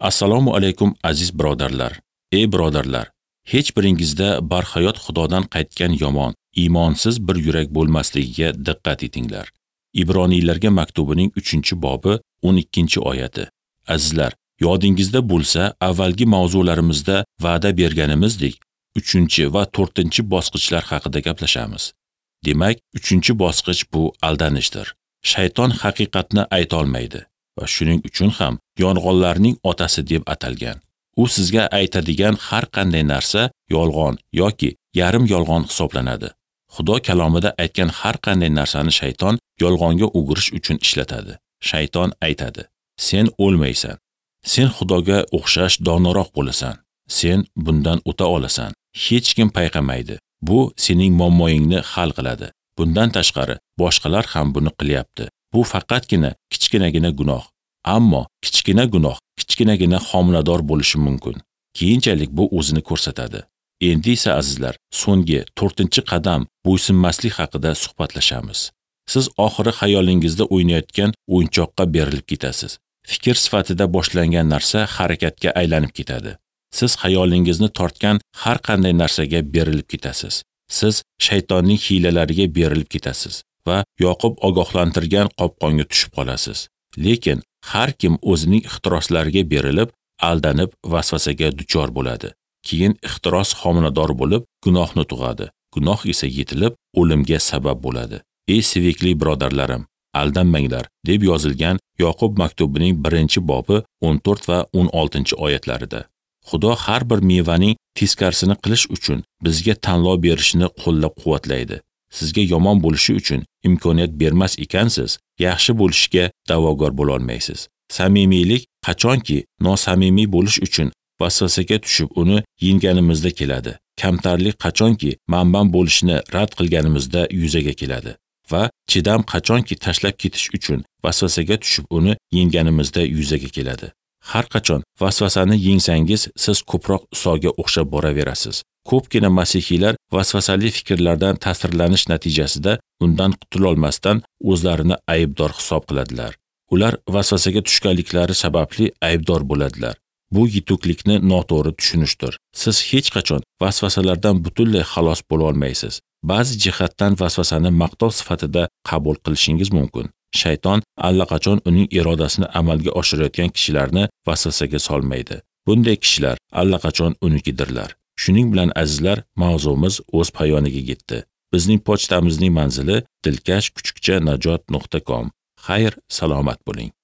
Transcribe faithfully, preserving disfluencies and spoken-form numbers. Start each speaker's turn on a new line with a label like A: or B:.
A: Assalomu alaykum aziz birodarlar. Ey birodarlar, hech biringizda barhayot Xudodan qaytgan yomon, iymonsiz bir yurak bo'lmasligiga diqqat etinglar. Ibroniylarga maktubining uchinchi bobi o'n ikkinchi oyati. Azizlar, yodingizda bo'lsa, avvalgi mavzularimizda va'da berganimizdek, uchinchi va to'rtinchi bosqichlar haqida gaplashamiz. Demak, uchinchi bosqich bu aldanishdir. Shayton haqiqatni ayta olmaydi va shuning uchun ham yolg'onlarning otasi deb atalgan. U sizga aytadigan har qanday narsa yolg'on yoki yarim yolg'on hisoblanadi. Xudo kalomida aytgan har qanday narsani shayton yolg'onga o'girish uchun ishlatadi. Shayton aytadi: "Sen o'lmaysan. Sen Xudoga o'xshash donoroq bo'lasan. Sen bundan o'ta olasan. Hech kim payqamaydi. Bu sening muammoingni hal qiladi. Bundan tashqari, boshqalar ham buni qilyapti. Bu faqatgina kichkinagina gunoh. Ammo kichkina gunoh kichkinagina homilador bo'lishi mumkin. Keyinchalik bu o'zini ko'rsatadi." Endi esa azizlar, so'nggi to'rtinchi qadam bo'ysunmaslik haqida suhbatlashamiz. Siz oxiri xayolingizda o'ynayotgan o'yinchoqqa berilib ketasiz. Fikr sifatida boshlangan narsa harakatga aylanib ketadi. Siz xayolingizni tortgan har qanday narsaga berilib ketasiz. Siz shaytonning hiylalariga berilib ketasiz va Yoqub ogohlantirgan qopqonga tushib qolasiz. Lekin har kim o'zining ixtiroslariga berilib, aldanib vasvasaga duchor bo'ladi. Keyin ixtiros homilador bo'lib, gunohni tug'adi. Gunoh esa yetilib, o'limga sabab bo'ladi. Ey sevikli birodarlarim, aldanmanglar, deb yozilgan Yoqub maktubining birinchi bobi o'n to'rt va o'n oltinchi oyatlarida. Xudo har bir mevaning teskarisini qilish uchun bizga tanlov berishini qo'llab-quvvatlaydi. Sizga yomon bo'lishi uchun imkoniyat bermas ekansiz, yaxshi bo'lishga da'vogar bo'la olmaysiz. Samimiylik qachonki nosamimiy bo'lish uchun vasvasaga tushib uni yengganimizda keladi. Kamtarlik qachonki manban bo'lishni rad qilganimizda yuzaga keladi va chidam qachonki tashlab ketish uchun vasvasaga tushib uni yengganimizda yuzaga keladi. Har qachon vasvasani yengsangiz, siz ko'proq Isoga o'xshab boraverasiz. Ko'pgina masihiylar vasvasali fikrlardan ta'sirlanish natijasida undan qutulolmasdan o'zlarini aybdor hisob qiladilar. Ular vasvasaga tushganliklari sababli aybdor bo'ladilar. Bu yetuklikni noto'g'ri tushunishdir. Siz hech qachon vasvasalardan butunlay xalos bo'la olmaysiz. Ba'zi jihatdan vasvasani maqtov sifatida qabul qilishingiz mumkin. Shayton allaqachon uning irodasini amalga oshirayotgan kishilarni vasvasaga solmaydi. Bunday kishilar allaqachon unikidirlar. Shuning bilan azizlar, mavzumiz o'z poyoniga yetdi. Bizning pochtamizning manzili dilkash kuchukcha najot nuqta com. Xayr, salomat bo'ling.